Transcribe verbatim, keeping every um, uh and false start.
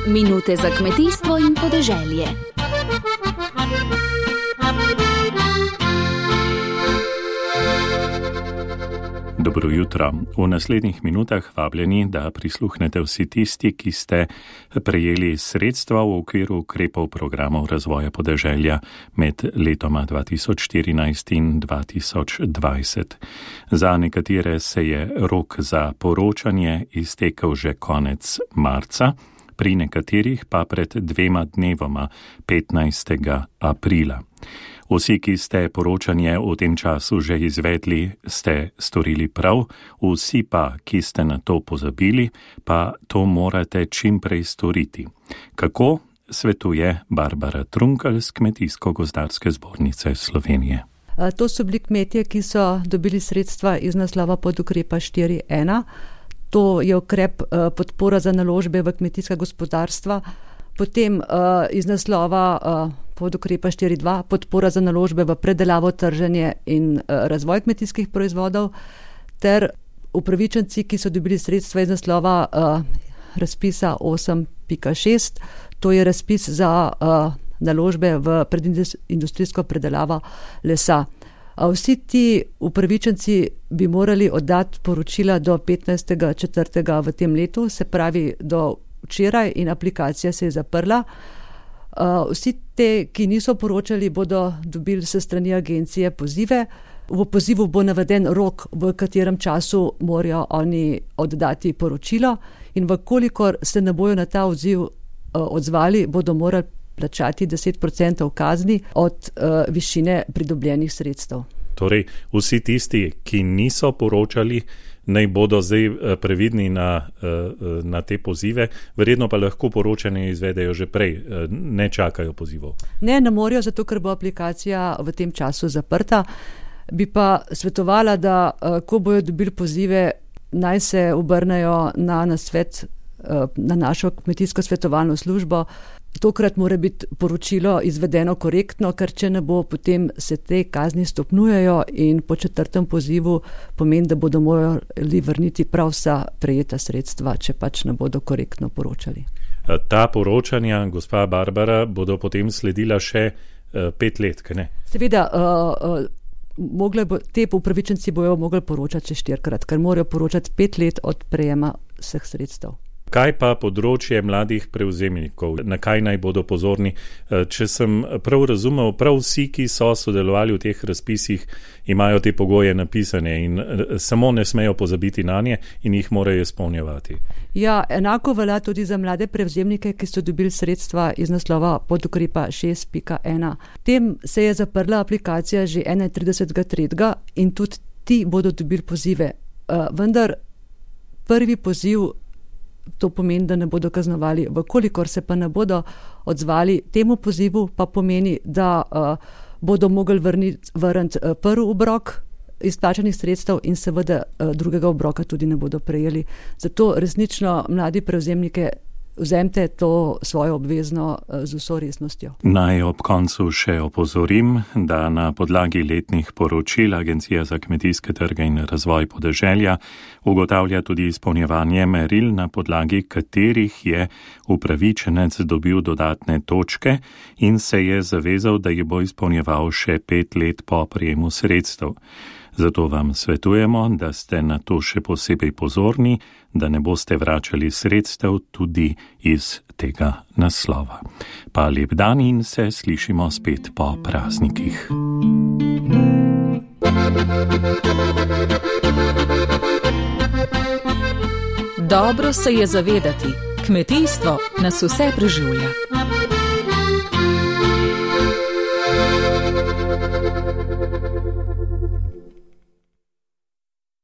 Minute za kmetijstvo in podeželje. Dobro jutro. V naslednjih minutah vabljeni, da prisluhnete vsi tisti, ki ste prejeli sredstva v okviru ukrepov programov razvoja podeželja med letoma dva tisoč štirinajst in dva tisoč dvajset. Za nekatere se je rok za poročanje iztekel že konec marca, pri nekaterih pa pred dvema dnevoma, petnajstega aprila. Vsi, ki ste poročanje v tem času že izvedli, ste storili prav, vsi pa, ki ste na to pozabili, pa to morate čim prej storiti. Kako, svetuje Barbara Trunkelj z Kmetijsko-gozdarske zbornice Slovenije. To so bili kmetje, ki so dobili sredstva iz naslova podukrepa štiri ena. To je ukrep podpora za naložbe v kmetijska gospodarstva. Potem uh, iz naslova uh, podukrepa štiri dva podpora za naložbe v predelavo, trženje in uh, razvoj kmetijskih proizvodov, ter upravičenci, ki so dobili sredstva iz naslova uh, razpisa osem pika šest, to je razpis za uh, naložbe v predindustrijsko predelavo lesa. A vsi ti upravičenci bi morali oddati poročila do petnajstega četrtega v tem letu, se pravi do včeraj, in aplikacija se je zaprla. Uh, vsi te, ki niso poročali, bodo dobili se strani agencije pozive. V pozivu bo naveden rok, v katerem času morajo oni oddati poročilo, in vkolikor se ne bojo na ta odziv uh, odzvali, bodo morali plačati deset procentov kazni od uh, višine pridobljenih sredstev. Torej, vsi tisti, ki niso poročali, naj bodo zdaj previdni na, na te pozive, verjetno pa lahko poročanje izvedejo že prej, ne čakajo pozivov. Ne, ne morajo, zato ker bo aplikacija v tem času zaprta. Bi pa svetovala, da ko bojo dobili pozive, naj se obrnejo na nasvet, na našo kmetijsko svetovalno službo. Tokrat mora biti poročilo izvedeno korektno, ker če ne bo, potem se te kazni stopnjujejo in po četrtem pozivu pomeni, da bodo morali vrniti prav vsa prejeta sredstva, če pač ne bodo korektno poročali. Ta poročanja, gospa Barbara, bodo potem sledila še uh, pet let, kaj ne? Seveda, uh, uh, mogle bo, te upravičenci bojo mogli poročati še štirikrat, ker morajo poročati pet let od prejema vseh sredstev. Kaj pa področje mladih prevzemnikov? Na kaj naj bodo pozorni? Če sem prav razumel, prav vsi, ki so sodelovali v teh razpisih, imajo te pogoje napisane in samo ne smejo pozabiti na nje in jih morajo izpolnjevati. Ja, enako velja tudi za mlade prevzemnike, ki so dobili sredstva iz naslova podukrepa šest pika ena. Tem se je zaprla aplikacija že enaintridesetega tretjega in tudi ti bodo dobili pozive. Vendar prvi poziv, to pomeni, da ne bodo kaznovali. Vkolikor se pa ne bodo odzvali temu pozivu, pa pomeni, da uh, bodo mogli vrniti, vrniti uh, prvi obrok izplačanih sredstev in seveda uh, drugega obroka tudi ne bodo prejeli. Zato resnično mladi prevzemnike vzemite to svojo obvezno z vso resnostjo. Naj ob koncu še opozorim, da na podlagi letnih poročil Agencija za kmetijske trge in razvoj podeželja ugotavlja tudi izpolnjevanje meril, na podlagi katerih je upravičenec dobil dodatne točke in se je zavezal, da jih bo izpolnjeval še pet let po prejemu sredstev. Zato vam svetujemo, da ste na to še posebej pozorni, da ne boste vračali sredstev tudi iz tega naslova. Pa lep dan in se slišimo spet po praznikih. Dobro se je zavedati, kmetijstvo nas vse preživlja.